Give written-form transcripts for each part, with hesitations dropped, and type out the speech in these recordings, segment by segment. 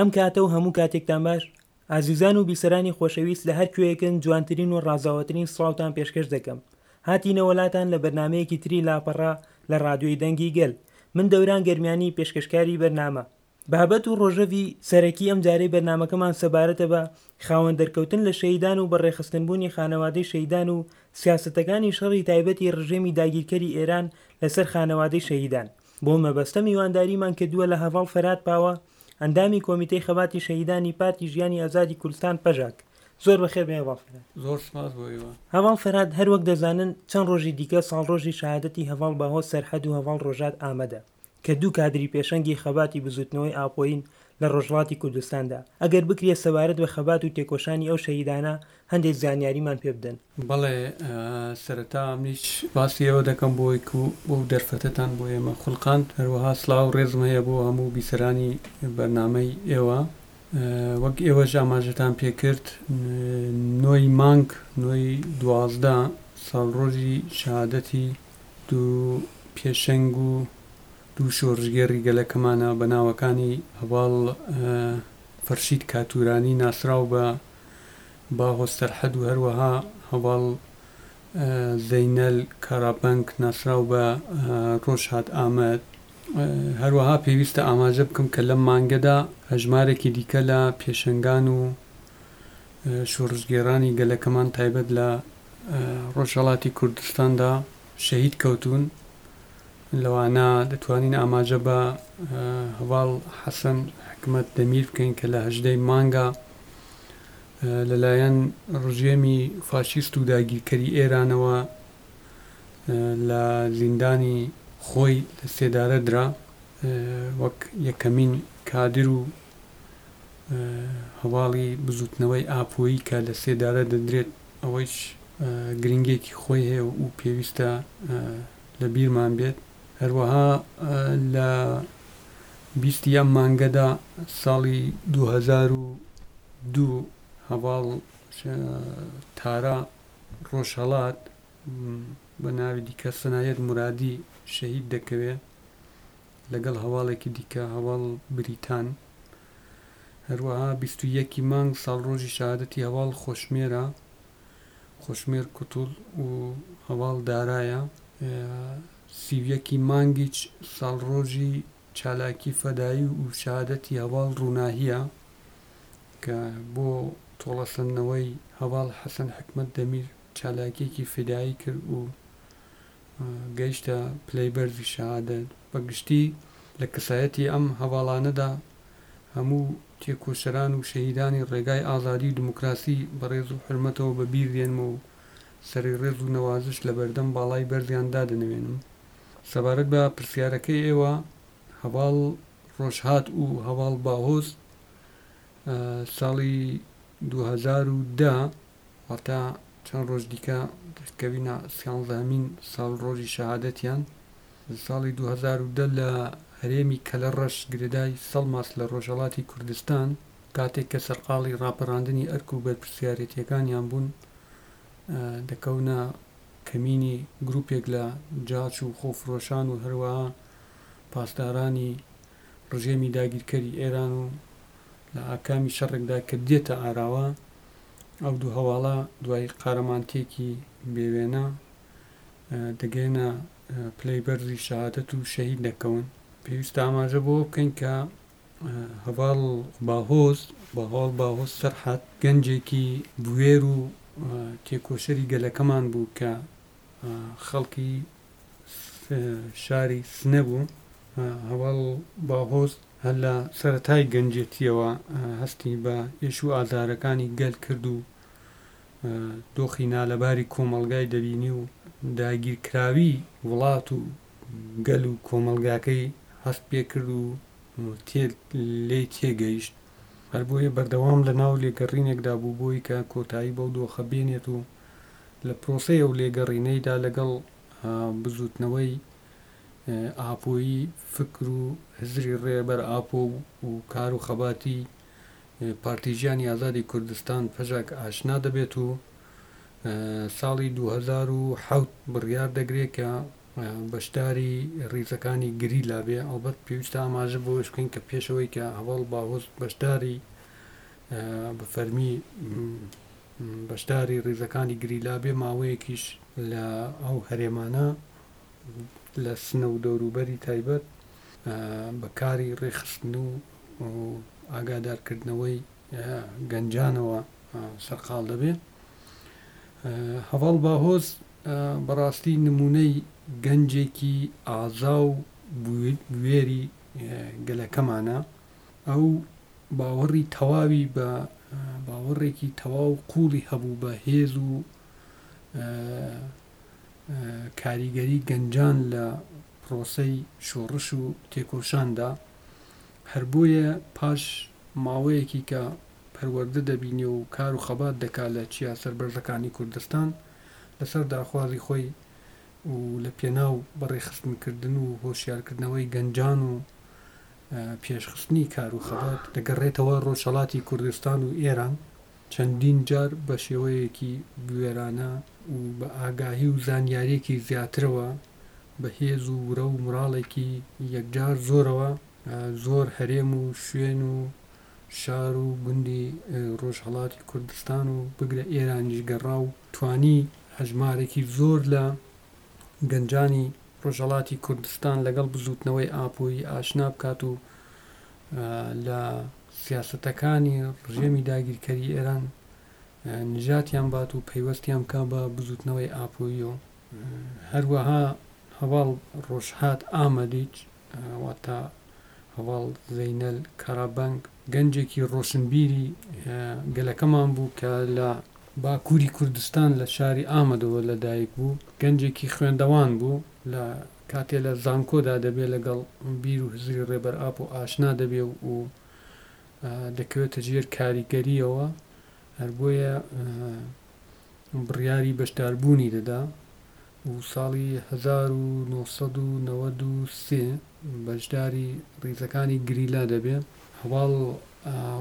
ئەم کاتە و هەموو کاتێکتان باش ئازیزان و بیسەرانی خۆشەویست لە هەر کوێیەکن جوانترین و ڕازاوەترین سڵاوتان پێشکەش دەکەم هاتینەوە لاتان لە بەرنامەیەکی تری لاپەڕە لە ڕادیۆی دەنگی گەل من دەوران گەرمیانی پێشکەشکاری بەرنامە بابەت و ڕۆژەڤی سەرەکی ئەم جارەی بەرنامەکەمان سەبارەتە بە خاوەن دەرکەوتن لە شەهیدان و بەڕێخستنبوونی خانەوادەی شەهیدان و سیاسەتەکانی شەڕی تایبەتی ڕژێمی داگیرکەری ئێران لەسەر خانەوادەی شەهیدان. بۆ مەبەستە میوانداریمان کردووە لە هەڤاڵ فەرهاد پاوە، ئەندامی کۆمیتەی خەباتی شەهیدانی پارتی ژیانی ئازادی کوردستان پەژاک. زۆر بەخێر بێی هەڤاڵ فەرهاد. زۆر سپاس بۆ ئێوە. هەڤاڵ فەرهاد هەر وەک دەزانن چەند ڕۆژی دیکە ساڵڕۆژی شەهادەتی هەڤاڵ باهۆز سەرحەد و هەڤاڵ ڕۆژهات ئامەدە کە دوو کادری پێشەنگی خەباتی بزووتنەوەی ئاپۆیین لە ڕۆژهەڵاتی کوردستاندا، ئەگەر بکرێ سەبارەت بە خەبات و تێکۆشانی ئەو شەهیدانە هەندێک زانیاریمان پێ بدەن. بەڵێ سەرەتا منیش سوپاسی ئێوە دەکەم بۆ ئەوەی کو ئەو دەرفەتەتان بۆ ئێمە خولقاند، هەروەها سڵاو و ڕێزم هەیە بۆ هەموو بیسەرانی بەرنامەی ئێوە. وەک ئێوەش ئاماژەتان پێ کرد نۆی مانگ نۆی 12 ساڵڕۆژی شەهادەتی دوو پێشەنگ و دوو شۆڕشگێڕی گەلەکەمانە بە ناوەکانی هەڤاڵ فەرشید کاتورانی ناسراو بە باهۆز سەرحەد و هەروەها هەڤاڵ زەینەل کارابەنک ناسراو بە ڕۆژهات ئامەد. هەروەها پێویستە ئاماژە بکەم کە لەم مانگەدا هەژمارێکی دیکە لە پێشەنگان و شۆڕشگێڕانی گەلەکەمان تایبەت لە ڕۆژهەڵاتی کوردستاندا شەهید کەوتوون، لەوانە دەتوانین ئاماژە بە هەڤاڵ حەسەن حکمەت دەمیر بکەین کە لە 18 ی مانگا لەلایەن ڕژێمی فاشیست و داگیرکەری ئێرانەوە لە زیندانی خۆی لە سێدارە درا، وەک یەکەمین کادر و هەواڵی بزوتنەوەی ئاپۆیی کە لە سێدارە دەدرێت، ئەوەیش گرنگیەکی خۆی هەیە و پێویستە لە بیرمان بێت. هەروەها لە بیستی ئەم مانگەدا ساڵی 2002 هەڤاڵ تارا ڕۆژهەڵات بە ناوی دیکە سەنایەت مورادی شەهید دەکەوێ لەگەڵ هەواڵێکی دیکە هەواڵ بریتان. هەروەها 21 ی مانگ ساڵڕۆژی شەهادەتی هەواڵ خۆشمێرە، خۆشمێر کوتوڵ و هەواڵ دارایە. 31 ی مانگیچ ساڵڕۆژی چالاکی فەدایی و شەهادەتی هەواڵ ڕووناهییە کە بۆ تۆڵەسەندنەوەی هەڤاڵ حەسەن حکمەت دەمیر چالاکییەکی فیدایی کرد و گەیشتە پلەی بەرزی شەهادەت. بە گشتی لە کەسایەتی ئەم هەڤاڵانەدا هەموو تێکۆشەران و شەهیدانی ڕێگای ئازادی و دیموکراسی بە ڕێز و حورمەتەوە بە بیر دێنمەوە و سەری ڕێز و نەوازش لە بەردەم باڵای بەرزیان دادەنەوێنم. سەبارەت بە پرسیارەکەی ئێوە، هەڤاڵ ڕۆژهات و هەڤاڵ باهۆز ساڵی 2010 واتە چەند ڕۆژ دیکە دەکەوینە سیانزەهەمین ساڵڕۆژی شەهادەتیان، ساڵی 2010 لە هەرێمی کەلەڕەش گرێدای سەڵماس لە ڕۆژهەڵاتی کوردستان، کاتێک کە سەرقاڵی ڕاپەڕاندنی ئەرک و بەرپرسیارێتییەکانیان بوون، دەکەونە کەمینی گروپێک لە جاش و خۆفرۆشان و هەروەها پاسدارانی ڕژێمی داگیرکەری ئێران و لە ئاکامی شەڕێکدا کە دێتە ئاراوە ئەو دوو هەواڵە دوای قارەمانتیەکی بێ وێنە دەگەنە پلەی بەرزی شەهادەت و شەهید دەکەون. پێویستە ئاماژە بەوە بکەین کە هەڤاڵ باهۆز، هەڤاڵ باهۆز سەرحەد گەنجێکی بوێر و تێکۆشەری گەلەکەمان بوو کە خەڵکی شاری سنە بوو. هەڤاڵ باهۆز هەر لە سەرەتای گەنجێتییەوە هەستی بە ئێش و ئازارەکانی گەل کرد و دۆخی نالەباری کۆمەڵگای دەبینی و داگیرکراوی وڵات و گەل و کۆمەڵگاکەی هەست پێکرد و لێی تێگەیشت. هەر بۆیە بەردەوام لە ناو لێگەڕینێکدا بوو بۆی کە کۆتایی بەو دۆخە بێنێت و لە پرۆسەی ئەو لێگەڕینەیدا لەگەڵ بزووتنەوەی ئاپۆیی فکر و هزری ڕێبەر ئاپۆ و کار و خەباتی پارتی ژیانی ئازادی کوردستان پەژاک ئاشنا دەبێت و ساڵی 2007 بڕیار دەگرێت کە بەشداری ڕیزەکانی گریلا بێ. ئەڵبەت پێویستە ئاماژە بەوەش بکەین کە پێش ئەوەی کە هەڤاڵ باهۆز بەشداری بە فەرمی بەشداری ڕیزەکانی گریلا بێ، ماوەیەکیش لە ئەو هەرێمانە لە سنە و دەوروبەری تایبەت بە کاری ڕێکخستن و ئاگادارکردنەوەی گەنجانەوە سەرقاڵ دەبێ. هەڤاڵ باهۆز بەڕاستی نمونەی گەنجێکی ئازا و بوێری گەلەکەمانە. ئەو باوەڕی تەواوی بە باوەڕێکی تەواو قووڵی هەبوو بە هێز و کاریگەری گەنجان لە پرۆسەی شۆڕش و تێکۆشاندا، هەر بۆیە پاش ماوەیەکی کە پەروەردە دەبینێ و کار و خەبات دەکا لە چیا سەربەرزەکانی کوردستان، لەسەر داخوازی خۆی و لە پێناو بەڕێخستنکردن و هۆشیارکردنەوەی گەنجان و پێشخستنی کار و خەبات، دەگەڕێتەوە ڕۆژهەڵاتی کوردستان و ئێران. چەندین جار بە شێوەیەکی بوێرانە و بە ئاگاهی و زانیارییەکی زیاترەوە، بە هێز و ورە و موراڵێکی یەکجار زۆرەوە، زۆر هەرێم و شوێن و شار و گوندی ڕۆژهەڵاتی کوردستان و بگرە ئێرانیش گەڕا و توانی هەژمارێکی زۆر لە گەنجانی ڕۆژهەڵاتی کوردستان لەگەڵ بزووتنەوەی ئاپۆیی ئاشنا بکات و لە سیاسەتەکانی ڕژێمی داگیرکەری ئێران نجاتیان بات و پەیوەستیان بکا بە بزووتنەوەی ئاپۆییەوە. هەروەها هەڤاڵ ڕۆژهات ئامەدیچ واتە هەڤاڵ زەینەل کارابەنگ گەنجێکی ڕۆشنبیری گەلەکەمان بوو کە لە باکووری کوردستان لە شاری ئامەدەوە لەدایک بوو، گەنجێکی خوێندەوان بوو، لە کاتێ لە زانکۆدا دەبێ لەگەڵ بیر و هزری ڕێبەر ئاپۆ ئاشنا دەبێ و دەکەوێتە ژێر کاریگەرییەوە، هەر بۆیە بڕیاری بەشداربوونی دەدا و ساڵی 1993 بەشداری ڕیزەکانی گریلا دەبێ. هەڤاڵ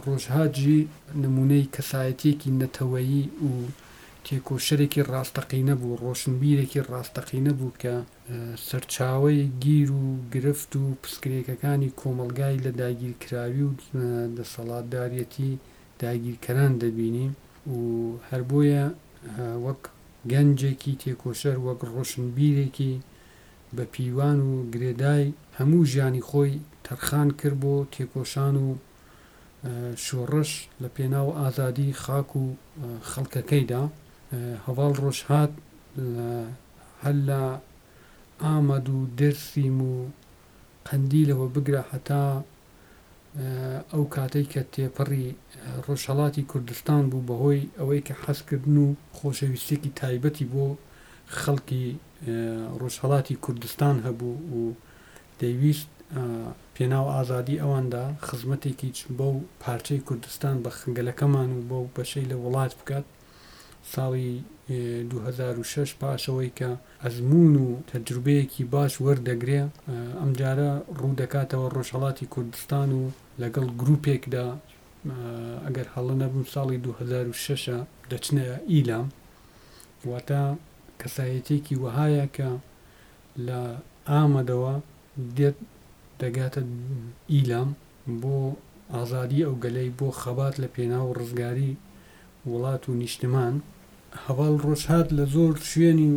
ڕۆژهات ژی نموونەی کەسایەتییەکی نەتەوەیی و تێکۆشەرێکی ڕاستەقینە بوو، ڕۆشنبیرێکی ڕاستەقینە بوو کە سەرچاوەی گیر و گرفت و پسگرێکەکانی کۆمەڵگای لە داگیرکراوی و دەسەڵاتداریەتی داگیرکەران دەبینی و هەر بۆیە وەک گەنجێکی تێکۆشەر، وەک ڕۆشنبیرێکی بە پیوان و گرێدای هەموو ژیانی خۆی تەرخان کرد بۆ تێکۆشان و شۆڕش لە پێناو ئازادی خاک و خەڵکەکەیدا. هەڤاڵ ڕۆژهات هەر لە ئامەد و دێرسیم و قەندیلەوە بگرە هەتا ئەو کاتەی کە تێپەڕی ڕۆژهەڵاتی کوردستان بوو بەهۆی ئەوەی کە حەزکردن و خۆشەویستیەکی تایبەتی بۆ خەڵکی ڕۆژهەڵاتی کوردستان هەبوو و دەیویست پێناو ئازادی ئەواندا خزمەتێکیچ بەو پارچەی کوردستان بە گەلەکەمان و بەو بەشەی لە وڵات بکات. ساڵی 2006 پاش ئەوەی کە ئەزموون و تەجروبەیەکی باش وەردەگرێ ئەمجارە ڕوو دەکاتەوە ڕۆژهەڵاتی کوردستان و لەگەڵ گروپێکدا ئەگەر هەڵە نەبم ساڵی 2006 دەچنە ئیلام واتە کەسایەتیەکی وەهایە کە لە ئامەدەوە دێت دەگاتە ئیلام بۆ ئازادی ئەو گەلەی بۆ خەبات لە پێناو ڕزگاری وڵات و نیشتمان. هەڤاڵ ڕۆژهات لە زۆر شوێنی و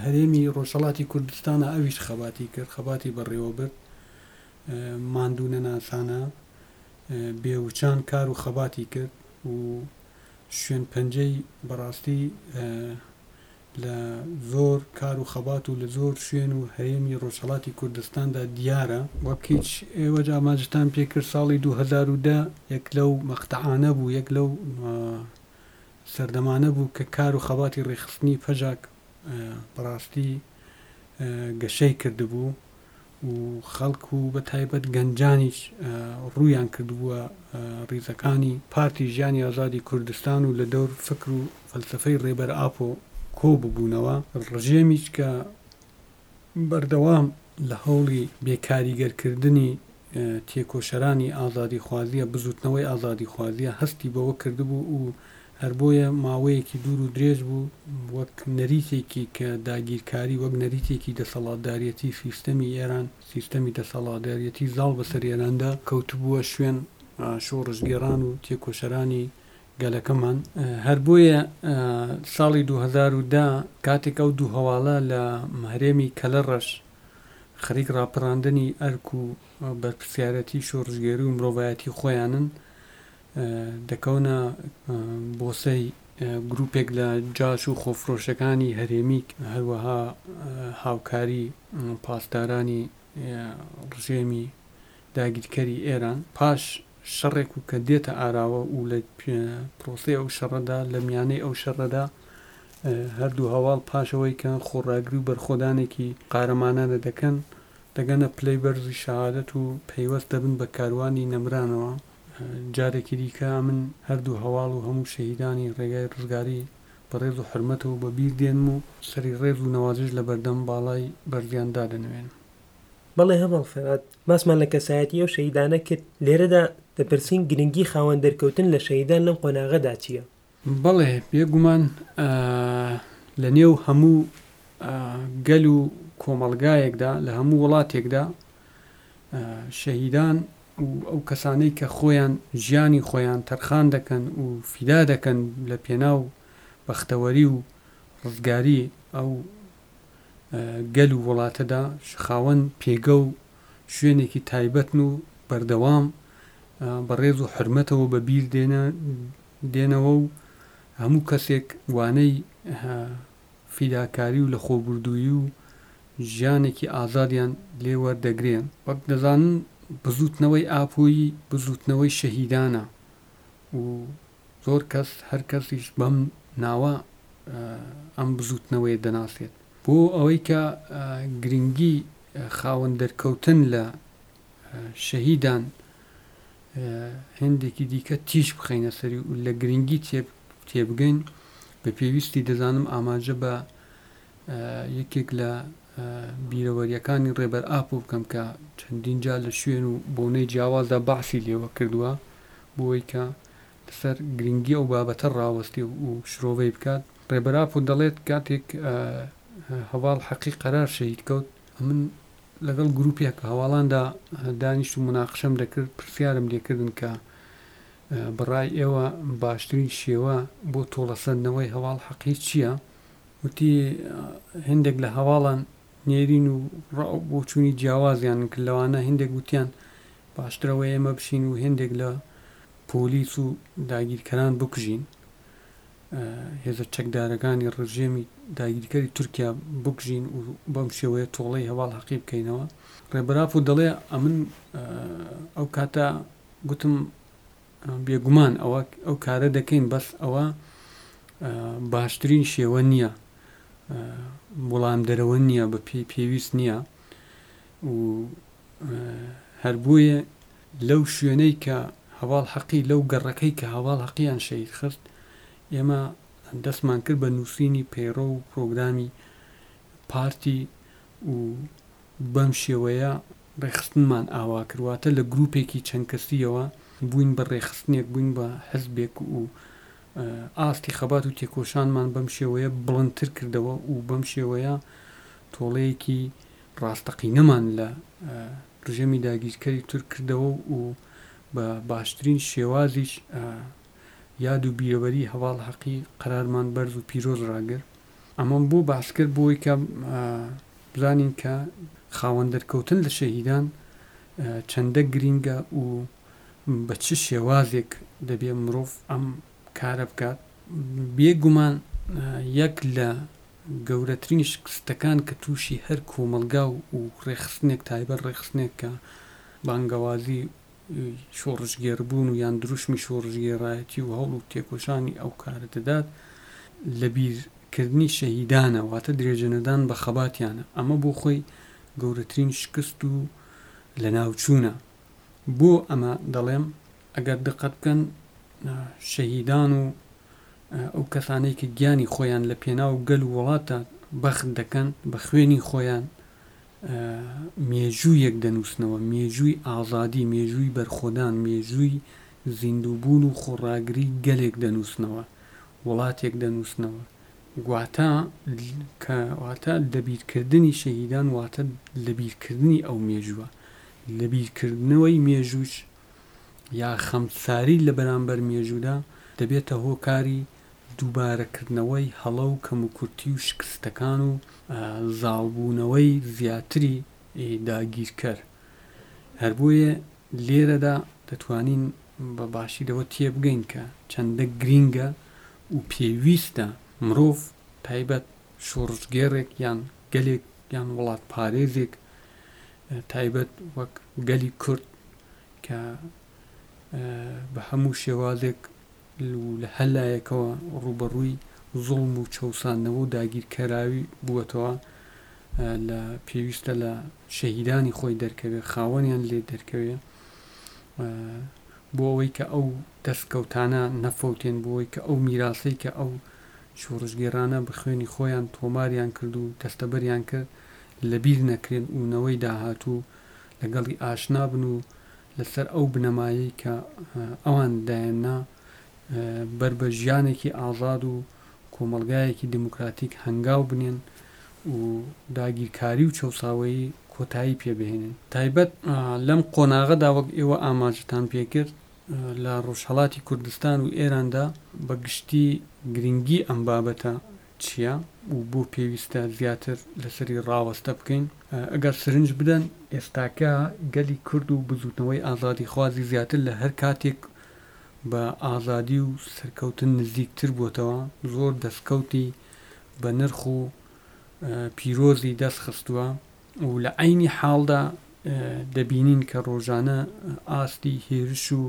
هەرێمی ڕۆژهەڵاتی کوردستانا ئەویش خەباتی کرد، خەباتی بەڕێوە برد، ماندوو نەناسانە بێ وچان کار و خەباتی کرد و شوێن پەنجەی بەڕاستی لە زۆر کار و خەبات و لە زۆر شوێن و هەرێمی ڕۆژهەڵاتی کوردستاندا دیارە. وەک هیچ ئێوەش ئاماژەتان پێ کرد ساڵی 2010 یەک لەو مەقتەعانە بوو، یەک لەو سەردەمانە بوو کە کار و خەباتی ڕێکخستنی پەژاک بەڕاستی گەشەی کردبوو و خەڵک و بە تایبەت گەنجانیش ڕوویان کردبووە ڕیزەکانی پارتی ژیانی ئازادی کوردستان و لە دەور فکر و فەلسەفەی ڕێبەر ئاپۆ کۆ ببوونەوە. ڕژێمیش کە بەردەوام لە هەوڵی بێکاریگەرکردنی تێکۆشەرانی ئازادیخوازیە، بزووتنەوەی ئازادیخوازیە، هەستی بەوە کردبوو و هەر بۆیە ماوەیەکی دوور و درێژ بوو وەک نەریتێکی کە داگیرکاری وەک نەریتێکی دەسەڵاتداریەتی سیستەمی ئێران، سیستەمی دەسەڵاتداریەتی زاڵ بەسەر ئێراندا کەوتبووە شوێن شۆڕشگێڕان و تێکۆشەرانی گەلەکەمان. هەر بۆیە ساڵی 2010 کاتێک ئەو دوو هەواڵە لە هەرێمی کەلەڕەش خەریک ڕاپەڕاندنی ئەرک و بەرپرسیارەتی شۆڕشگێری و مرۆڤایەتی خۆیانن، دەکەونە بۆسەی گروپێک لە جاش و خۆفرۆشەکانی هەرێمی، هەروەها هاوکاری پاسدارانی ڕژێمی داگیرکەری ئێران پاش شەڕێک و کە دێتە ئاراوە و لە پرۆسەی ئەو شەڕەدا لە میانەی ئەو شەڕەدا هەردوو هەواڵ پاشەوەی کە خۆڕاگری و بەرخۆدانێکی قارەمانانە دەکەن دەگەنە پلەی بەرزی شەهادەت و پەیوەست دەبن بە کاروانی نەمرانەوە. جارێکی دیکە ئەمن هەردوو هەواڵ و هەموو شەهیدانی ڕێگای ڕزگاری بە ڕێز و حورمەتەوە بە بیر دێنم و سەری ڕێز و نەوازش لە بەردەم باڵای بەرزیان دادەنەوێنم. بەڵێ هەڤاڵ فەرهاد، باسمان لە کەسایەتی ئەو شەهیدانە کرد، لێرەدا دەپرسین گرنگی خاوەن دەرکەوتن لە شەهیدان لەم قۆناغەدا چییە؟ بەڵێ بێگومان لە نێو هەموو گەل و کۆمەڵگایەکدا، لە هەموو وڵاتێکدا شەهیدان و ئەو کەسانەی کە خۆیان ژیانی خۆیان تەرخان دەکەن و فیدا دەکەن لە پێناو بەختەوەری و ڕزگاری ئەو گەل و وڵاتەدا خاوەن پێگە و شوێنێکی تایبەتن و بەردەوام بە ڕێز و حورمەتەوە بە بیر دێنەوە و هەموو کەسێک وانەی فیداکاری و لەخۆبوردوویی و ژیانێکی ئازادیان لێ وەردەگرێ. وەک دەزانن بزووتنەوەی ئاپۆیی بزووتنەوەی شەهیدانە و زۆر کەس هەر کەسیش بەم ناوە ئەم بزووتنەوەیە دەناسێت. بۆ ئەوەی کە گرنگی خاوەن دەرکەوتن لە شەهیدان هێندێکی دیکە تیش بخەینە سەری و لە گرنگی تێبگەین بە پێویستی دەزانم ئاماژە بە یەکێک لە بیرەوەریەکانی ڕێبەر ئاپۆ بکەم کە چەندین جار لە شوێن و بۆنەی جیاوازدا باسی لێوە کردووە بۆی کە لەسەر گرنگی ئەو بابەتە ڕاوەستی و شرۆڤەی بکات ڕێبەر ئاپۆ دەڵێت کاتێک هەواڵ حەقی قەرار شەهید کەوت ئەمن لەگەڵ گروپێک هەواڵاندا دانیشت و مناقشەم دەکرد پرسیارم لێکردن کە بەڕای ئێوە باشترین شێوە بۆ تۆڵەسەندنەوەی هەواڵ حەقی چییە؟ وتی هێندێک لە هەواڵان نێرین و ڕا و بۆچوونی جیاوازیان کرد لەوانە هێندێک وتیان باشترە ئەوەیە ئێمە بچین و هێندێک لە پۆلیس و داگیرکەران بکوژین هێزە چەکدارەکانی ڕژێمی داگیرکەری تورکیا بکوژین و بەم شێوەیە تۆڵەی هەواڵ حەقی بکەینەوە ڕێبەر ئاپۆ دەڵێ ئەمن ئەو کاتە گوتم بێگومان ئەوە ئەو کارە دەکەین بەس ئەوە باشترین شێوە نییە وەڵامدەرەوە نییە بە پێی پێویست نییە و هەر بۆیە لەو شوێنەی کە هەواڵ حەقی لەو گەڕەکەی کە هەواڵ حەقیان شەهید خست ئێمە دەستمان کرد بە نووسینی پەیڕەو و پرۆگرامی پارتی و بەم شێوەیە ڕێکخستنمان ئاوا کرد، واتە لە گروپێکی چەند کەسییەوە بووین بە ڕێکخستنێک، بووین بە حزبێک و ئاستی خەبات و تێکۆشانمان بەم شێوەیە بڵندتر کردەوە و بەم شێوەیە تۆڵەیەکی ڕاستەقینەمان لە ڕژێمی داگیرکەری تورک کردەوە و بە باشترین شێوازیش یاد و بیرەوەری هەڤاڵ حەقی قەرارمان بەرز و پیرۆز ڕاگرت. ئەمەم بۆ باس کرد بۆی کە بزانین کە خاوەن دەرکەوتن لە شەهیدان چەندە گرینگە و بە چ شێوازێک دەبێ مرۆڤ ئەم کارە بکات. بێ گومان یەک لە گەورەترین شکستەکان کە تووشی هەر کۆمەڵگا و ڕێکخستنێک تایبەت ڕێکخستنێک کە بانگەوازی شۆڕشگێڕبوون و یان دروشمی شۆڕشگێڕایەتی و هەوڵ و تێکۆشانی ئەو کارە دەدات لەبیر کردنی شەهیدانە واتە درێژەنەدان بە خەباتیانە ئەمە بۆ خۆی گەورەترین شکست و لەناوچوونە بۆ ئەمە دەڵێم ئەگەر دقەت بکەن شەهیدان و ئەو کەسانەی کە گیانی خۆیان لە پێناو گەل و وڵاتدا بەخت دەکەن بە خوێنی خۆیان مێژوویەک دەنووسنەوە، مێژووی ئازادی، مێژووی بەرخۆدان، مێژووی زیندووبوون و خۆڕاگری گەلێک دەنووسنەوە. وڵاتێک دەنووسنەوە. واتە کە واتە لەبیرکردنی شەهیدان واتە لەبیرکردنی ئەو مێژووە. لەبیرکردنەوەی مێژووش یا خەمساری لە بەرامبەر مێژوودا دەبێتە هۆکاری دووبارەکردنەوەی هەڵە و کەموکورتی و شکستەکان و زاڵبوونەوەی زیاتری داگیرکەر. هەر بۆیە لێرەدا دەتوانین بە باشی لەوە تێبگەین کە چەندە گرینگە و پێویستە مرۆڤ تایبەت شۆڕشگێڕێک یان گەلێک یان وڵاتپارێزێک تایبەت وەک گەلی کورد کە بە هەموو شێوازێک و لە هەر لایەکەوە ڕووبەڕووی زوڵم و چەوساندنەوە و داگیرکەراوی بووەتەوە لە پێویستە لە شەهیدانی خۆی دەرکەوێ خاوەنیان لێ دەرکەوێ بۆ ئەوەی کە ئەو دەستکەوتانە نەفەوتێن بۆ ئەوەی کە ئەو میراسەی کە ئەو شۆڕشگێڕانە بە خوێنی خۆیان تۆماریان کرد و دەستەبەریان کرد لەبیر نەکرێن و نەوەی داهاتوو لەگەڵی ئاشنا بن و لەسەر ئەو بنەمایەی کە ئەوان دایاننا بەر بە ژیانێکی ئازاد و کۆمەڵگایەکی دیموکراتیک هەنگاو بنێن و داگیرکاری و چەوساوەیی کۆتایی پێ بهێنن. تایبەت لەم قۆناغەدا وەک ئێوە ئاماژەتان پێکرد لە ڕۆژهەڵاتی کوردستان و ئێراندا بە گشتی گرنگی ئەم بابەتە چییە و بۆ پێویستە زیاتر لەسەری ڕاوەستە بکەین؟ ئەگەر سرنج بدەن ئێستاکە گەلی کورد و بزووتنەوەی ئازادیخوازی زیاتر لە هەر کاتێک بە ئازادی و سەرکەوتن نزیکتر بۆتەوە، زۆر دەستکەوتی بە نرخ و پیرۆزی دەست خستووە و لە عەینی حاڵدا دەبینین کە ڕۆژانە ئاستی هێرش و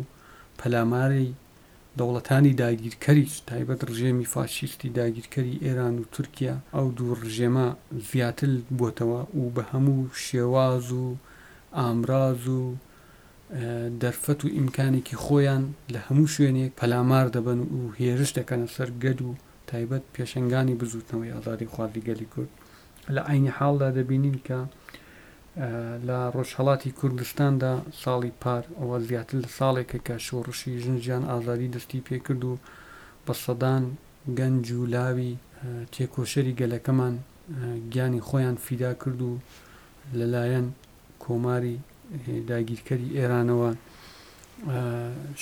پەلاماری دەوڵەتانی داگیرکەریش تایبەت ڕژێمی فاشیستی داگیرکەری ئێران و تورکیا ئەو دوو ڕژێمە زیاتر بۆتەوە و بە هەموو شێواز و ئامراز و دەرفەت و ئیمکانێکی خۆیان لە هەموو شوێنێک پەلامار دەبەن و هێرش دەکەنە سەر گەل و تایبەت پێشەنگانی بزووتنەوەی ئازادیخوازی گەلی کورد. لە عەینی حاڵدا دەبینین کە لە ڕۆژهەڵاتی کوردستاندا ساڵی پار ئەوە زیاتر لە ساڵێکە کە شۆڕشی ژن ژیان ئازادی دەستی پێکرد و بە سەدان گەنج و لاوی تێکۆشەری گەلەکەمان گیانی خۆیان فیدا کرد و لەلایەن کۆماری داگیرکەری ئێرانەوە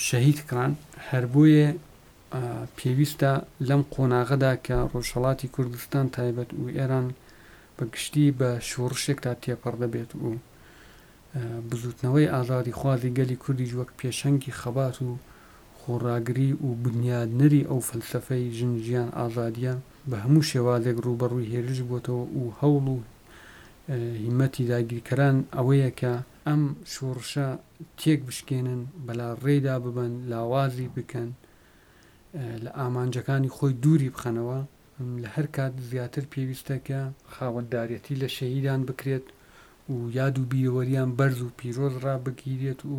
شەهید کران. هەر بۆیە پێویستە لەم قۆناغەدا کە ڕۆژهەڵاتی کوردستان تایبەت و ئێران بە گشتی بە شۆڕشێکدا تێپەڕ دەبێت و بزووتنەوەی ئازادیخوازی گەلی کوردیش وەک پێشەنگی خەبات و خۆڕاگری و بنیادنەری ئەو فەلسەفەی ژن ژیان ئازادییە بە هەموو شێوازێک ڕووبەڕووی هێرش بۆتەوە و هەوڵ و هیمەتی داگیرکەران ئەوەیە کە ئەم شۆڕشە تێک بشکێنن، بەلاڕێیدا ببەن، لاوازی بکەن، لە ئامانجەکانی خۆی دووری بخەنەوە. لە هەر کات زیاتر پێویستە کە خاوەنداریەتی لە شەهیدان بکرێت و یاد و بیرەوەریان بەرز و پیرۆز ڕابگیرێت و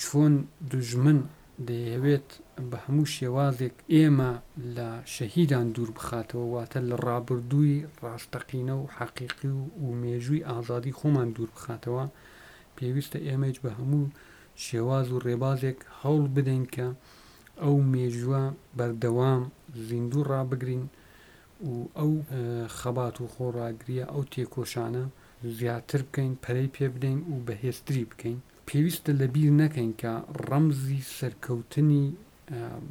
چۆن دوژمن دەیەوێت بە هەموو شێوازێک ئێمە لە شەهیدان دوور بخاتەوە، واتە لە ڕابردووی ڕاستەقینە و حەقیقی و مێژووی ئازادی خۆمان دوور بخاتەوە، پێویستە ئێمەیش بە هەموو شێواز و ڕێبازێک هەوڵ بدەین کە ئەو مێژووە بەردەوام زیندوو ڕابگرین و ئەو خەبات و خۆڕاگرییە، ئەو تێکۆشانە زیاتر بکەین، پەرەی پێ بدەین و بەهێزتری بکەین. پێویستە لەبیر نەکەین کە ڕەمزی سەرکەوتنی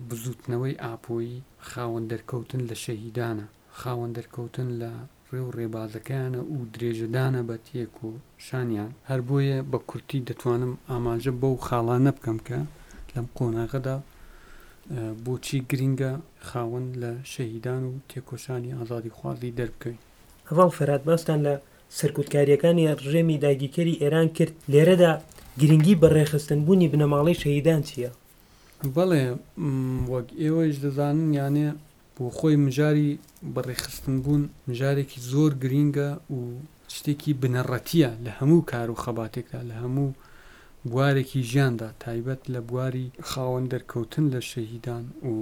بزووتنەوەی ئاپۆیی خاوەن دەرکەوتن لە شەهیدانە، خاوەن دەرکەوتن لە ڕێ و ڕێبازەکەیانە و درێژەدانە بە تێکۆشانیان. هەر بۆیە بە کورتی دەتوانم ئاماژە بەو خاڵانە بکەم کە لەم قۆناغەدا بۆچی گرینگە خاوەن لە شەهیدان و تێکۆشانی ئازادیخوازی دەربکەوین. هەڤاڵ فەرهاد باستان لە سەرکوتکارییەکانی ڕژێمی داگیرکەری ئێران کرد، لێرەدا گرنگی بەڕێکخستن بوونی بنەماڵەی شەهیدان چییە؟ بەڵێ وەک ئێوەیش دەزانن یانێ بۆ خۆی مژاری بەڕێکخستن بوون مژارێکی زۆر گرینگە و شتێکی بنەڕەتییە لە هەموو کار و خەباتێکدا لە هەموو بوارێکی ژیاندا تایبەت لە بواری خاوەن دەرکەوتن لە شەهیدان و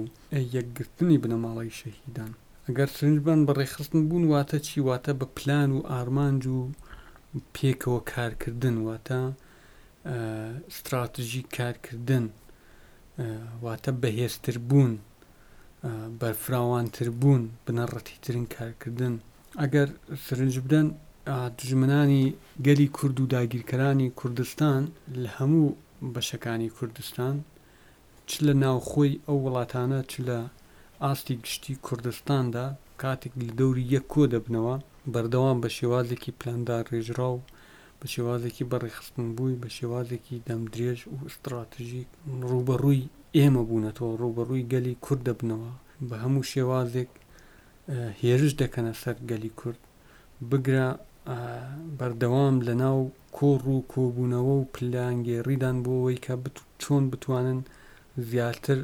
یەکگرتنی بنەماڵەی شەهیدان. ئەگەر سرنج بەن بەڕێکخستن بوون واتە چی؟ واتە بە پلان و ئارمانج و پێکەوە کارکردن واتە ستراتژی کارکردن واتە بەهێزتر بوون. بەرفراوانتر بوون، بنەڕەتیترین کارکردن. ئەگەر سرنج بدەن دوژمنانی گەلی کورد و داگیرکەرانی کوردستان لە هەموو بەشەکانی کوردستان چ لە ناوخۆی ئەو وڵاتانە چ لە ئاستی گشتی کوردستاندا کاتێک لە دەوری یەک کۆ دەبنەوە بەردەوام بە شێوازێکی پلانداڕێژراو بە شێوازێکی بەڕێکخستنبووی بە شێوازێکی دەمدرێژ و ستڕاتژیک ڕووبەڕووی ئێمە بوونەتەوە، ڕووبەڕووی گەلی کورد دەبنەوە، بە هەموو شێوازێک هێرش دەکەنە سەر گەلی کورد، بگرە بەردەوام لەناو کۆڕ و کۆبوونەوە و پلانگێڕیدان بۆ ئەوەی کە چۆن بتوانن زیاتر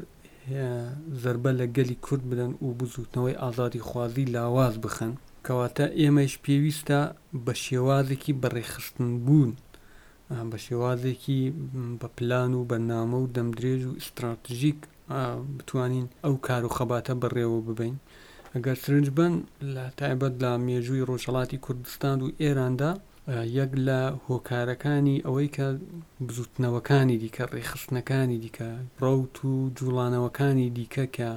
زەربە لە گەلی کورد بدەن و بزووتنەوەی ئازادیخوازی لاواز بخەن. کەواتە ئێمەیش پێویستە بە شێوازێکی بەڕێکخستنبوون، بە شێوازێکی بە پلان و بەرنامە و دەمدرێژ و ئیستراتژیک بتوانین ئەو کار و خەباتە بەڕێوە ببەین. ئەگەر سرنج بەن لە تایبەت لە مێژووی ڕۆژهەڵاتی کوردستان و ئێراندا یەک لە هۆکارەکانی ئەوەی کە بزووتنەوەکانی دیکە، ڕێکخستنەکانی دیکە، ڕەوت و جووڵانەوەکانی دیکە کە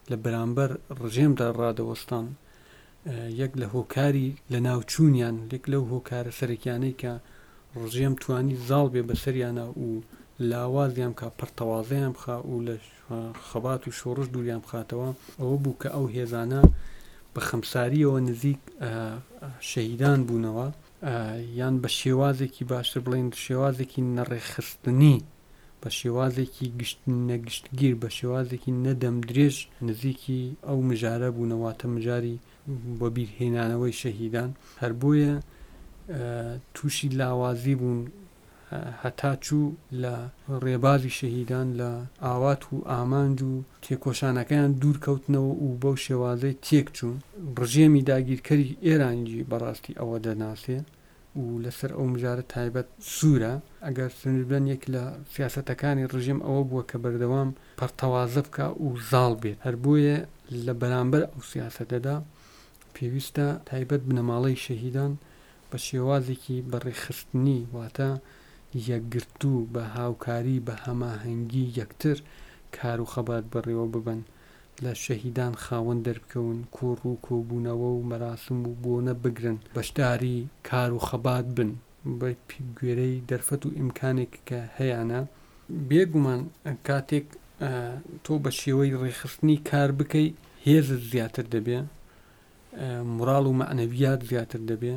لە بەرامبەر ڕژێمدا ڕادەوەستان، یەک لە هۆکاری لەناوچوونیان، یەک لەو هۆکارە سەرەکیانەی کە ڕژێم توانی زاڵ بێ بەسەریانا و لاوازیان بکا، پەرتەوازەیان بخا و لە خەبات و شۆڕش دووریان بخاتەوە، ئەوە بوو کە ئەو هێزانە بە خەمسارییەوە نزیک شەهیدان بوونەوە، یان بە شێوازێکی باشتر بڵێین شێوازێکی نەڕێکخستنی، بە شێوازێکی گشت نەگشتگیر، بە شێوازێکی نە دەمدرێژ نزیکی ئەو مژارە بوونە، واتە مژاری وەبیرهێنانەوەی شەهیدان. هەر بۆیە تووشی لاوازی بوون هەتا چوو لە ڕێبازی شەهیدان، لە ئاوات و ئامانج و تێکۆشانەکەیان دوور کەوتنەوە و بەو شێوازەی تێک چوون. ڕژێمی داگیرکەری ئێرانیی بەڕاستی ئەوە دەناسێ و لەسەر ئەو مژارە تایبەت سوورە. ئەگەر سەرنج بدەن یەک لە سیاسەتەکانی ڕژێم ئەوە بووە کە بەردەوام پەرتەوازە بکا و زاڵ بێت. هەر بۆیە لە بەرامبەر ئەو سیاسەتەدا پێویستە تایبەت بنەماڵەی شەهیدان بە شێوازێکی بەڕێکخستنی واتە یەکگرتوو بە هاوکاری بە هەماهەنگی یەکتر کار و خەبات بەڕێوە ببەن، لە شەهیدان خاوەن دەربکەون، کۆڕ و کۆبوونەوە و مەراسم و بۆنە بگرن، بەشداری کار و خەبات بن بە گوێرەی دەرفەت و ئیمکانێک کە هەیانە. بێ گومان کاتێک تۆ بە شێوەی ڕێکخستنی کار بکەی هێزت زیاتر دەبێ، موراڵ و مەعنەویات زیاتر دەبێ،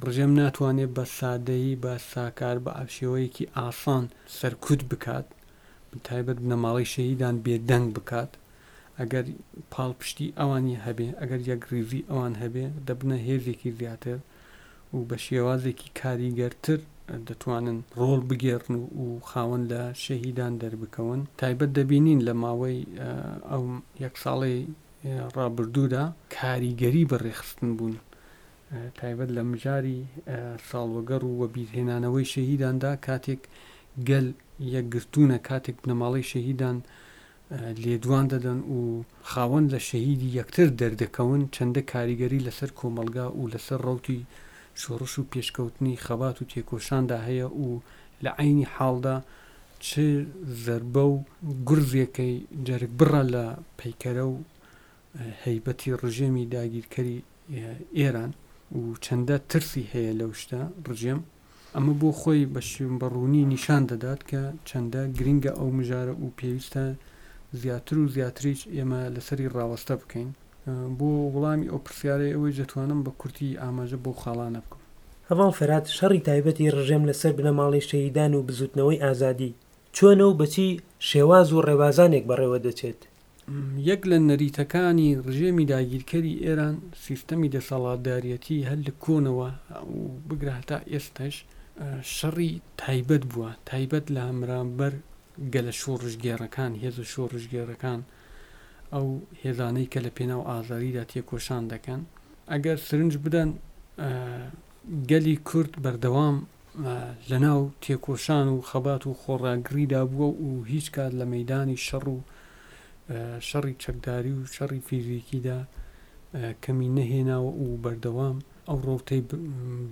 ڕژێم ناتوانێ بە سادەیی، بە ساکار، بە شێوەیەکی ئاسان سەرکوت بکات، بە تایبەت بنەماڵەی شەهیدان بێدەنگ بکات، ئەگەر پاڵپشتی ئەوانی هەبێ، ئەگەر یەکڕیزی ئەوان هەبێ، دەبنە هێزێکی زیاتر و بە شێوازێکی کاریگەرتر دەتوانن ڕۆڵ بگێڕن و خاوەن لە شەهیدان دەربکەون. تایبەت دەبینین لە ماوەی ئەو یەک ساڵەی ڕابردوودا کاریگەری بە ڕێکخستن بوون، تایبەت لە مژاری ساڵوەگەڕ و وەبیرهێنانەوەی شەهیداندا کاتێک گەل یەکگرتوونە، کاتێک بنەماڵەی شەهیدان لێدوان دەدەن و خاوەن لە شەهیدی یەکتر دەردەکەون، چەندە کاریگەری لەسەر کۆمەڵگا و لەسەر ڕەوتی شۆڕش و پێشکەوتنی خەبات و تێکۆشاندا هەیە و لە عەینی حاڵدا چ زەربە و گورزێکەی جەرگبڕە لە پەیکەرە و هەیبەتی ڕژێمی داگیرکەری ئێران و چەندە ترسی هەیە لەو شتە ڕژێم، ئەمە بۆ خۆی بە بە ڕوونی نیشان دەدات کە چەندە گرنگە ئەو مژارە و پێویستە زیاتر و زیاتریش ئێمە لەسەری ڕاوەستە بکەین. بۆ وڵامی ئەو پرسیارەی ئەوەیش دەتوانم بە کورتی ئاماژە بەو خاڵانە بکەم. هەڤاڵ فەرهاد شەڕی تایبەتی ڕژێم لەسەر بنەماڵەی شەهیدان و بزووتنەوەی ئازادی چۆنە و بە چی شێواز و ڕێبازانێک بەڕێوە دەچێت؟ یەک لە نەریتەکانی ڕژێمی داگیرکەری ئێران سیستەمی دەسەڵاتداریەتی هەر لە کۆنەوە و بگرە هەتا ئێستاش شەڕی تایبەت بووە، تایبەت لە هەمرامبەر گەلە شۆڕشگێڕەکان، هێزە شۆڕشگێڕەکان، ئەو هێزانەی کە لە پێناو ئازادیدا تێکۆشان دەکەن. ئەگەر سرنج بدەن گەلی کورد بەردەوام لەناو تێکۆشان و خەبات و خۆڕاگریدا بووە و هیچ کات لە مەیدانی شەڕ و شەڕی چەکداری و شەڕی فیزیکیدا کەمی نەهێناوە و بەردەوام ئەو ڕەوتەی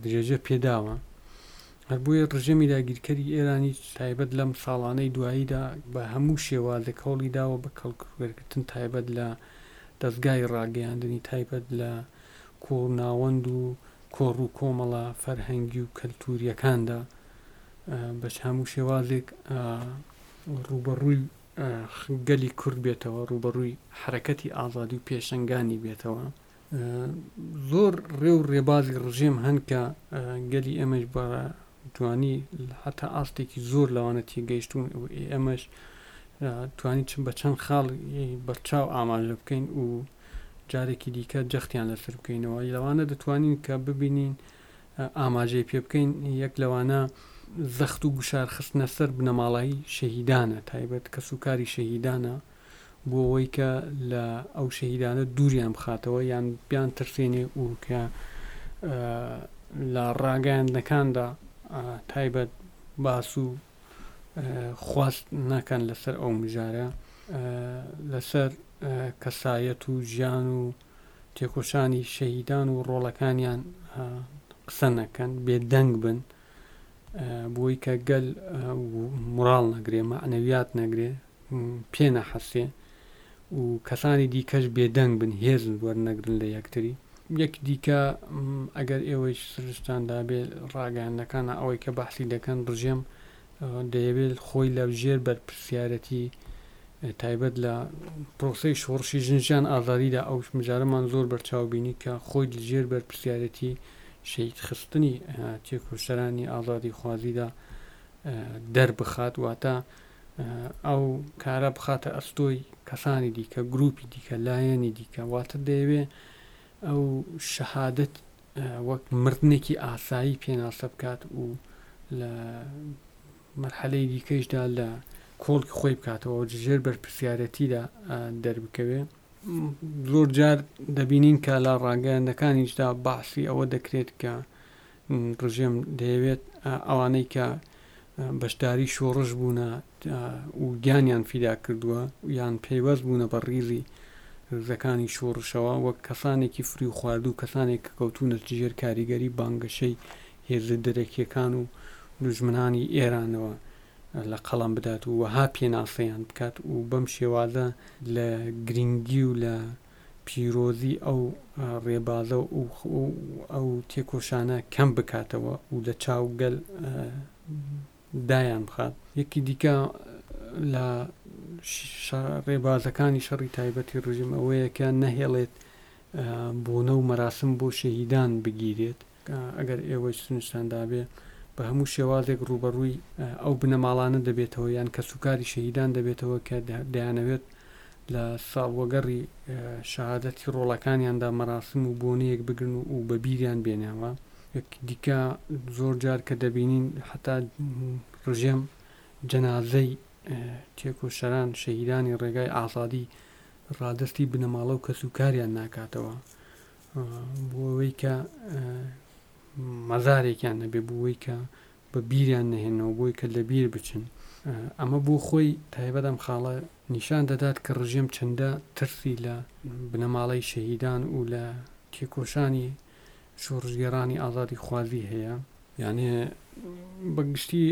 درێژە پێداوە. هەر بۆیە ڕژێمی داگیرکەری ئێرانیش تایبەت لەم ساڵانەی دواییدا بە هەموو شێوازێک هەوڵی داوە بە کەڵک وەرگرتن تایبەت لە دەزگای ڕاگەیاندنی تایبەت لە کۆناوەند و کۆڕ و کۆمەڵە فەرهەنگی و کەلتوورییەکاندا بە هەموو شێوازێک ڕووبەڕووی گەلی کورد بێتەوە، ڕووبەڕووی حەرەکەتی ئازادی و پێشەنگانی بێتەوە. زۆر ڕێ و ڕێبازی ڕژێم هەن کە گەلی ئێمەش بە جوانی هەتا ئاستێکی زۆر لەوانە تێگەیشتوون و ئێمەش توانی چ بە چەند خاڵ بەرچاو ئاماژە بکەین و جارێکی دیکە جەختیان لەسەر بکەینەوە لەوانە دەتوانین کە ببینین ئاماژەی پێ بکەین یەک لەوانە زەخت و گوشار خستنە سەر بنەماڵای شەهیدانە تایبەت کەسوکاری شەهیدانە بۆ ئەوەی کە لە ئەو شەهیدانە دووریان بخاتەوە یان بیان ترسێنێ و کە لە ڕاگەیاندنەکاندا تایبەت باس و خواست نەکەن لەسەر ئەو مژارە لەسەر کەسایەت و ژیان و تێکۆشانی شەهیدان و ڕۆڵەکانیان قسە نەکەن بێدەنگ بن بۆی کە گەل مڕاڵ نەگرێ مەعنەویات نەگرێ پێ نەحەسێ و کەسانی دیکەش بێدەنگ بن هێز وەرنەگرن لە یەکتری. یەک دیکە ئەگەر ئێوەیش سرنجتان دابێ ڕاگەیاندنەکانە ئەوەی کە بەحسی دەکەن ڕژێم دەیەوێت خۆی لە ژێر بەرپرسیارەتی تایبەت لە پرۆسەی شۆڕشی ژن ژیان ئازادیدا ئەو مژارەمان زۆر بەرچاو بینی کە خۆی لە ژێر بەرپرسیارەتی شەهید خستنی تێکۆشەرانی ئازادیخوازیدا دەربخات واتە ئەو کارە بخاتە ئەستۆی کەسانی دیکە، گروپی دیکە، لایەنی دیکە، واتە دەیەوێ ئەو شەهادەت وەک مردنێکی ئاسایی پێناسە بکات و لە مەرحەلەی دیکەیشدا لە کۆڵکی خۆی بکاتەوە و ژێر بەرپرسیارەتیدا دەربکەوێ. زۆر جار دەبینین کە لە ڕاگەیاندەکانیشدا باسی ئەوە دەکرێت کە ڕژێم دەیەوێت ئەوانەی کە بەشداری شۆڕش بوونە و گیانیان فیدا کردووە یان پەیوەست بوونە بە ڕیزی ڕیزەکانی شۆڕشەوە وەک کەسانێکی فریو خواردوو کەسانێک کە کەوتوونەتە ژێر کاریگەری بانگەشەی هێزە دەرەکییەکان و دوژمنانی ئێرانەوە لە قەڵەم بدات و وەها پێناسەیان بکات و بەم شێوازە لە گرنگی و لە پیرۆزی ئەو ڕێبازە و ئەو تێکۆشانە کەم بکاتەوە و لە چاو گەل دایان بخات. یەکی دیکە لە ڕێبازەکانی شەڕی تایبەتی ڕژیم ئەوەیە کە نەهێڵێت بۆنە و مەراسم بۆ شەهیدان بگیرێت. ئەگەر ئێوەیش سنجتان دابێ بە هەموو شێوازێک ڕووبەڕووی ئەو بنەماڵانە دەبێتەوە یان کەسوکاری شەهیدان دەبێتەوە کە دەیانەوێت لە ساڵوەگەڕی شەهادەتی ڕۆڵەکانیاندا مەراسم و بۆنەیەک بگرن و بە بیریان بێنەوە. یەک دیکە زۆر جار کە دەبینین هەتا ڕژێم جەنازەی تێکۆشەران شەهیدانی ڕێگای ئازادی ڕادەستی بنەماڵە و کەسوکاریان ناکاتەوە بۆ ئەوەی کە مەزارێکیان نەبێ بۆ ئەوەی کە بە بیریان نەهێنەوە بۆی کە لە بیر بچن ئەمە بۆ خۆی تایبەت ئەم خاڵە نیشان دەدات کە ڕژێم چەندە ترسی لە بنەماڵەی شەهیدان و لە تێکۆشانی شۆڕشگێڕانی ئازادیخوازی هەیە. یانێ بە گشتی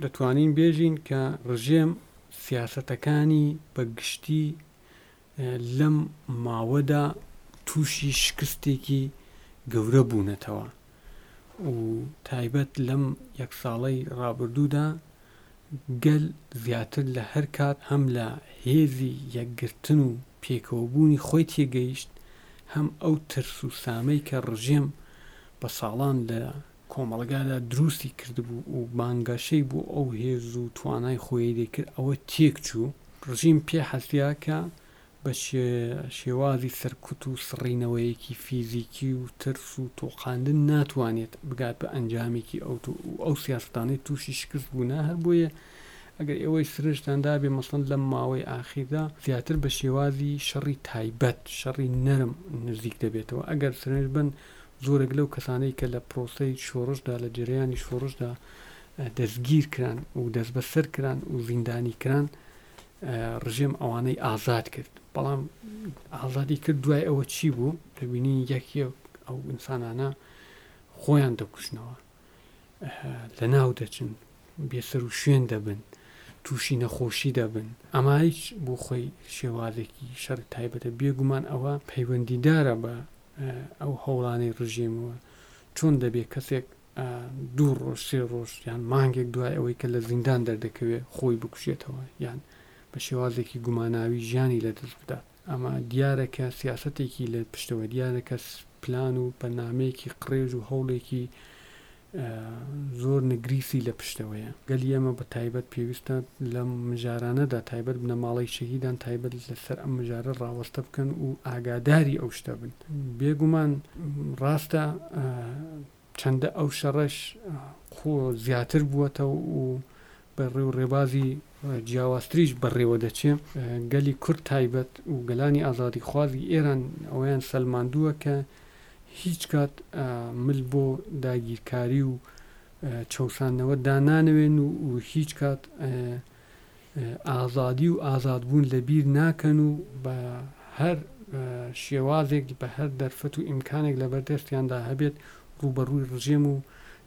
دەتوانین بێژین کە ڕژێم سیاسەتەکانی بە گشتی لەم ماوەدا تووشی شکستێکی گەورە بوونەتەوە و تایبەت لەم یەک ساڵەی ڕابردوودا گەل زیاتر لە هەر کات هەم لە هێزی یەکگرتن و پێکەوەبوونی خۆی تێگەیشت، هەم ئەو ترس و سامەی کە ڕژێم بە ساڵان لە کۆمەڵگادا دروستی کردبوو و بانگەشەی بۆ ئەو هێز و توانای خۆیی دەکرد ئەوە تێکچوو. ڕژیم پێ حەسیا کە بە شێوازی سەرکوت و سڕینەوەیەکی فیزیکی و ترس و تۆقاندن ناتوانێت بگات بە ئەنجامێکی ئەوتۆ و ئەو سیاسەتانەی تووشی شکست بوونە هەر بۆیە ئەگەر ئێوەی سرنجتان دابێ مەسەڵەن لەم ماوەی ئاخیردا زیاتر بە شێوازی شەڕی تایبەت شەڕی نەرم نزیک دەبێتەوە ئەگەر سرنج بن زۆرێک لەو کەسانەی کە لە پرۆسەی شۆڕشدا لە جەرەیانی شۆڕشدا دەستگیر کران و دەستبەسەر کران و زیندانی کران ڕژێم ئەوانەی ئازاد کرد بەڵام ئازادی کرد دوای ئەوە چی بوو دەبینین یەک یەک ئەو ئینسانانە خۆیان دەکوژنەوە. لەناو دەچن، بێسەروشوێن دەبن، تووشی نەخۆشی دەبن، ئەمە هیچ بۆ خۆی شێوازێکی شەڕی تایبەتە، بێگومان ئەوە پەیوەندیدارە بە ئەو هەوڵانەی ڕژێمەوە، چۆن دەبێ کەسێک دوو ڕۆژ سێ ڕۆژ یان مانگێک دوای ئەوەی کە لە زیندان دەردەکەوێ خۆی بکوژێتەوە یان بە شێوازێکی گوماناوی ژیانی لەدەست بدات. ئەمە دیارە کە سیاسەتێکی لە پشتەوە، دیارە کە پلان و بەرنامەیەکی قڕێژ و هەوڵێکی زۆر نگریسی لە پشتەوەیە. گەلی ئێمە بە تایبەت پێویستە لەم مژارانەدا تایبەت بنەماڵەی شەهیدان تایبەت لەسەر ئەم مژارە ڕاوەستە بکەن و ئاگاداری ئەو شتە بن. بێگومان ڕاستە چەندە ئەو شەڕەش زیاتر بووەتەوە و بە ڕێ و ڕێبازی جیاوازتریش بەڕێوە دەچێ. گەلی کورد تایبەت و گەلانی ئازادیخوازی ئێران ئەوەیان سەلماندووە کە هیچ کات مل بۆ داگیرکاری و چەوساندنەوە دانانەوێن و هیچ کات ئازادی و ئازادبوون لە بیر ناکەن و بە هەر شێوازێک بە هەر دەرفەت و ئیمکانێک لە بەردەستیاندا هەبێت ڕووبەڕووی ڕژێم و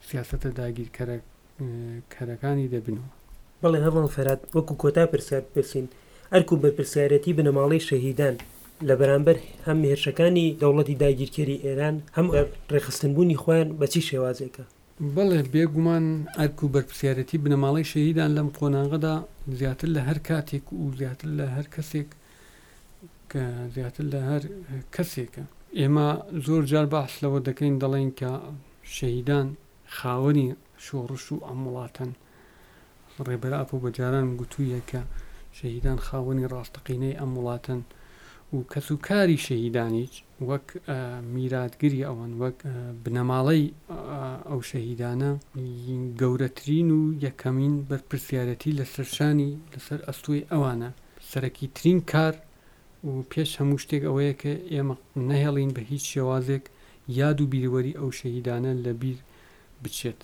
سیاسەتە داگیرکەرەکانی دەبنەوە. بەڵێ هەڤاڵ فەرهاد، وەکو کۆتا پرسیار بپرسین، ئەرک و بەرپرسیارێتی بنەماڵەی شەهیدان لە بەرامبەر هەم هێرشەکانی دەوڵەتی داگیرکەری ئێران هەم ڕێکخستنبوونی خۆیان بە چی شێوازێکە؟ بەڵێ بێگومان ئەرک و بەرپرسیارێتی بنەماڵەی شەهیدان لەم قۆناغەدا زیاتر لە هەر کاتێک و زیاتر لە هەر کەسێک کە زیاتر لە هەر کەسێکە. ئێمە زۆر جار باس لەوە دەکەین دەڵێین کە شەهیدان خاوەنی شۆڕش و ئەم وڵاتەن. ڕێبەر ئاپۆ بە جاران گوتوویە کە شەهیدان خاوەنی ڕاستەقینەی ئەم وڵاتەن و کەسوکاری شەهیدانیش وەک میراتگری ئەوان، وەک بنەماڵەی ئەو شەهیدانە گەورەترین و یەکەمین بەرپرسیارێتی لەسەر شانی، لەسەر ئەستۆی ئەوانە. سەرەکیترین کار و پێش هەموو شتێک ئەوەیە کە ئێمە نەهێڵین بە هیچ شێوازێک یاد و بیرەوەری ئەو شەهیدانە لەبیر بچێت.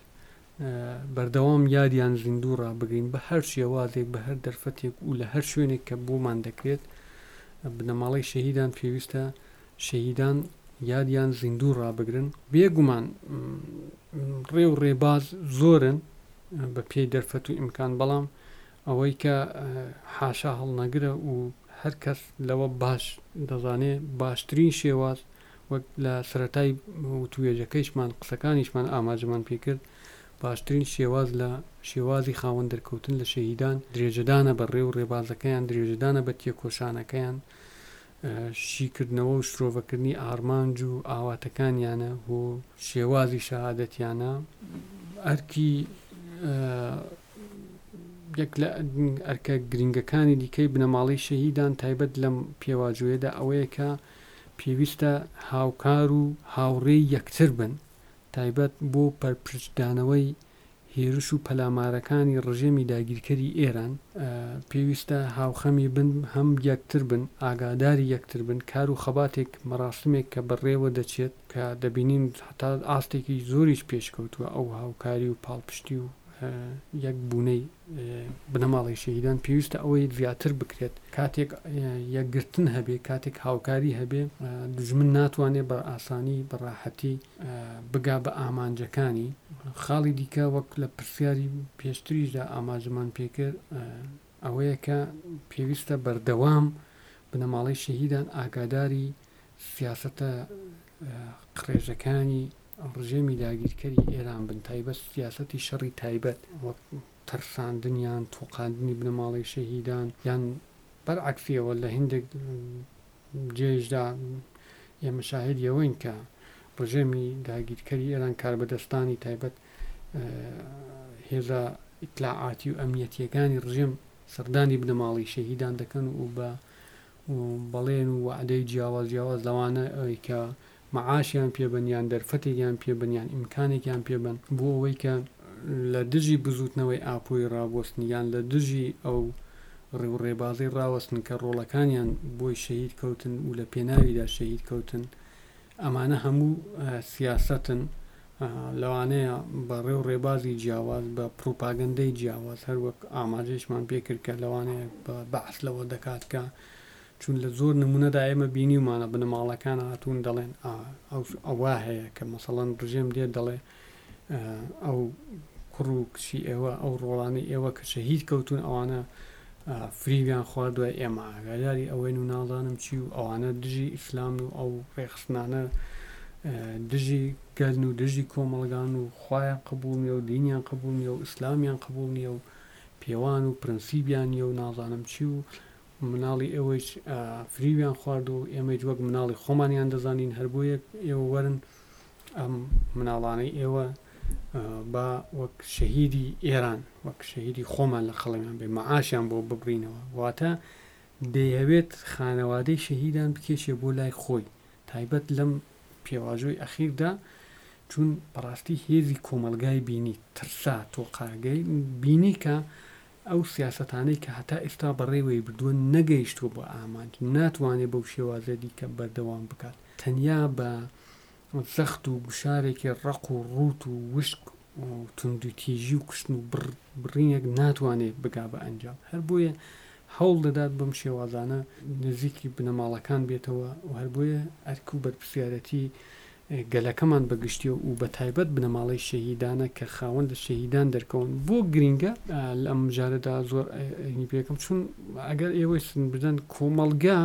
بەردەوام یادیان زیندوو ڕابگرین بە هەر شێوازێک بە هەر دەرفەتێک و لە هەر شوێنێک کە بۆمان دەکرێت بنەماڵەی شەهیدان پێویستە شەهیدان یادیان زیندوو ڕابگرن بێگومان ڕێ و ڕێباز زۆرن بە پێی دەرفەت و ئیمکان بەڵام ئەوەی کە حاشا هەڵنەگرە و هەر کەس لەوە باش دەزانێ باشترین شێواز وەک لە سەرەتای وتووێژەکەیشمان قسەکانیشمان ئاماژەمان پێکرد، باشترین شێواز لە شێوازی خاوەن دەرکەوتن لە شەهیدان درێژەدانە بە ڕێ و ڕێبازەکەیان، درێژەدانە بە تێکۆشانەکەیان، شیکردنەوە و شرۆڤەکردنی ئارمانج و ئاواتەکانیانە و شێوازی شەهادەتیانە. ئەرکی یەک لە ئەرکە گرینگەکانی دیکەی بنەماڵەی شەهیدان تایبەت لەم پێواژۆیەدا ئەوەیە کە پێویستە هاوکار و هاوڕێی یەکتر بن، تایبەت بۆ پەرپرچدانەوەی هێرش و پەلامارەکانی ڕژێمی داگیرکەری ئێران، پێویستە هاوخەمی بن، هەم یەکتر بن، ئاگاداری یەکتر بن، کار و خەباتێک، مەراسمێک کە بەڕێوە دەچێت، کە دەبینین هەتا ئاستێکی زۆریش پێشکەوتووە ئەو هاوکاری و پاڵپشتی و یەک بوونەی بنەماڵەی شەهیدان، پێویستە ئەوەی زیاتر بکرێت. کاتێک یەکگرتن هەبێ، کاتێک هاوکاری هەبێ، دوژمن ناتوانێ بە ئاسانی، بە ڕاحەتی بگا بە ئامانجەکانی. خاڵی دیکە وەک لە پرسیاری پێشتریشدا ئاماژەمان پێکرد، ئەوەیە کە پێویستە بەردەوام بنەماڵەی شەهیدان ئاگاداری سیاسەتە قڕێژەکانی ڕژێمی داگیرکەری ئێران بن، تایبەت سیاسەتی شەڕی تایبەت وەک ترساندن یان تۆقاندنی بنەماڵەی شەهیدان یان بەرعەکسیەوە لە هندێک جێیشدا ئێمە شاهدی ئەوەین کە ڕژێمی داگیرکەری ئێران کاربەدەستانی تایبەت هێزە ئیتلاعاتی و ئەمنیەتیەکانی ڕژێم سەردانی بنەماڵی شەهیدان دەکەن و بە بەڵێن و وەعدەی جیاواز جیاواز لەوانە ئەوی کە مەعاشیان پێ بن یان دەرفەتێکیان پێ بن یان ئیمکانێکیان پێ بن بۆ ئەوەی کە لە دژی بزووتنەوەی ئاپۆیی ڕابوەستن یان لە دژی ئەو ڕێ و ڕێبازەی ڕاوەستن کە ڕۆڵەکانیان بۆی شەهید کەوتن و لە پێناویدا شەهید کەوتن. ئەمانە هەموو سیاسەتن لەوانەیە بە ڕێ و ڕێبازی جیاواز بە پڕوپاگەندەی جیاواز هەر وەک ئاماژەیشمان پێ کرد کە لەوانەیە بە بەعس لەوە دەکات کە چون لە زۆر نمونەدا ئێمە بینیومانە بنەماڵەکان هاتوون دەڵێن ئەوە هەیە کە مەسەڵەن ڕژێم دێت دەڵێ. ئەو کوڕ و کچی ئێوە ئەو ڕۆڵانەی ئێوە کە شەهید کەوتون ئەوانە فریویان خواردوە ئێمە ئاگاداری ئەوەین و نازانم چی و ئەوانە دژی ئیسلامن و ئەو ڕێکخستنانە دژی گەلن و دژی کۆمەڵگان و خوایان قبوڵ نیە و دینیان قبوڵ نیە و ئیسلامیان قبوڵ نیە و پێوان و پرەنسیبیان نیە و نازانم چی و مناڵی ئێوەیش فریویان خواردوە و ئێمەیش وەک مناڵی خۆمانیان دەزانین هەر بۆیە ئێوە وەرن ئەم مناڵانەی ئێوە با وەک شەهیدی ئێران وەک شەهیدی خۆمان لە قەڵەمیان بێ مەعاشیان بۆ ببڕینەوە واتە دەیهەوێت خانەوادەی شەهیدان بکێشێ بۆ لای خۆی تایبەت لەم پێواژۆی ئەخیردا چون بەڕاستی هێزی کۆمەڵگای بینی ترسا تۆقاگەی بینی کە ئەو سیاسەتانەی کە هەتا ئێستا بەڕێوەی بردووە نەگەیشتووە بە ئامانج ناتوانێت بەو شێوازە دیکە بەردەوام بکات تەنیا بە زەخت و گوشارێکی ڕەق و ڕووت و وشک و توندوتیژی و کوشتن و بڕینێک ناتوانێت بگا بە ئەنجام. هەر بۆیە هەوڵ دەدات بەم شێوازانە نزیکی بنەماڵەکان بێتەوە و هەر بۆیە ئەرک و بەرپرسیارەتی گەلەکەمان بە گشتی و بە تایبەت بنەماڵەی شەهیدانە کە خاوەن لە شەهیدان دەرکەون بۆ گرینگە لەم مژارەدا زۆر ئەینی پێکەم چون ئەگەر ئێوەی سن بدەن کۆمەڵگا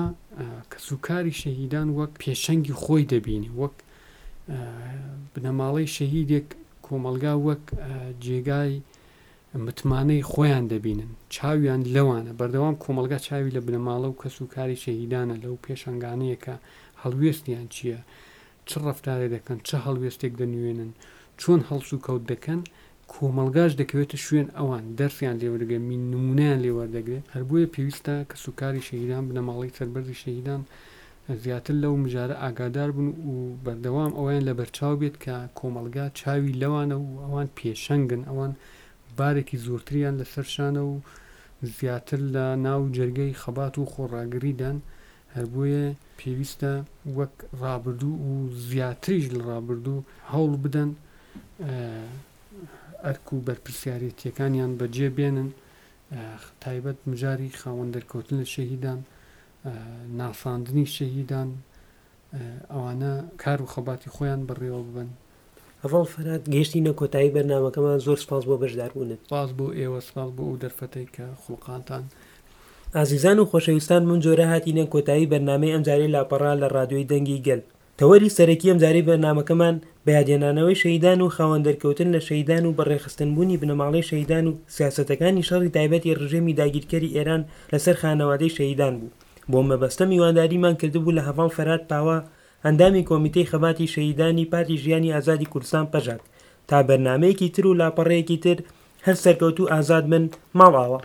کەسوکاری شەهیدان وەک پێشەنگی خۆی دەبینی وەک بنەماڵەی شەهیدێک کۆمەڵگا وەک جێگای متمانەی خۆیان دەبینن چاویان لەوانە بەردەوام کۆمەڵگا چاوی لە بنەماڵە و کەس و کاری شەهیدانە لەو پێشەنگانەیە کە هەڵوێستیان چییە چ ڕەفتارێ دەکەن چ هەڵوێستێک دەنوێنن چۆن هەڵسوکەوت دەکەن کۆمەڵگاش دەکەوێتە شوێن ئەوان دەرسیان لێ وەردەگرێت مین نمونەیان لێ وەردەگرێت هەر بۆیە پێویستە کەسوکاری شەهیدان بنەماڵەی سەربەرزی شەهیدان زیاتر لەو مژارە ئاگادار بن و بەردەوام ئەوەیان لەبەرچاو بێت کە کۆمەڵگا چاوی لەوانە و ئەوان پێشەنگن ئەوان بارێکی زۆرتریان لەسەر شانە و زیاتر لە ناو جەرگەی خەبات و خۆڕاگریدان هەر بۆیە پێویستە وەک ڕابردوو و زیاتریش لە ڕابردوو هەوڵ بدەن ئەرک و بەرپرسیارێتیەکانیان بەجێ بێنن تایبەت مژاری خاوەن دەرکەوتن لە شەهیدان ناساندنی شەهیدان ئەوانە کار و خەباتی خۆیان بەڕێوە ببەن. هەڤاڵ فەرهاد گەیشتینە کۆتایی بەرنامەکەمان زۆر سپاس بۆ بەشداربوونت. سپاس بۆ ئێوە سپاس بۆ ئەو دەرفەتەی کە خوڵقانتان. ئازیزان و خۆشەویستان بەم جۆرە هاتینە کۆتایی بەرنامەی ئەمجارەی لاپەڕە لە ڕادیۆی دەنگی گەل. تەوەری سەرەکی ئەمجارەی بەرنامەکەمان بەیادهێنانەوەی شەهیدان و خاوەن دەرکەوتن لە شەهیدان و بەڕێکخستنبوونی بنەماڵەی شەهیدان و سیاسەتەکانی شەڕی تایبەتی ڕژێمی داگیرکەری ئێران لەسەر خانەوادەی شەهیدان بوو. بۆم مەبەستە میوانداریمان کردبوو لە هەڤاڵ فەرهاد پاوە ئەندامی کۆمیتەی خەباتی شەهیدانی پارتی ژیانی ئازادی کوردستان پەژاک. تا بەرنامەیەکی تر و لاپەڕەیەکی تر هەر سەرکەوتوو ئازاد بن ماڵئاوا.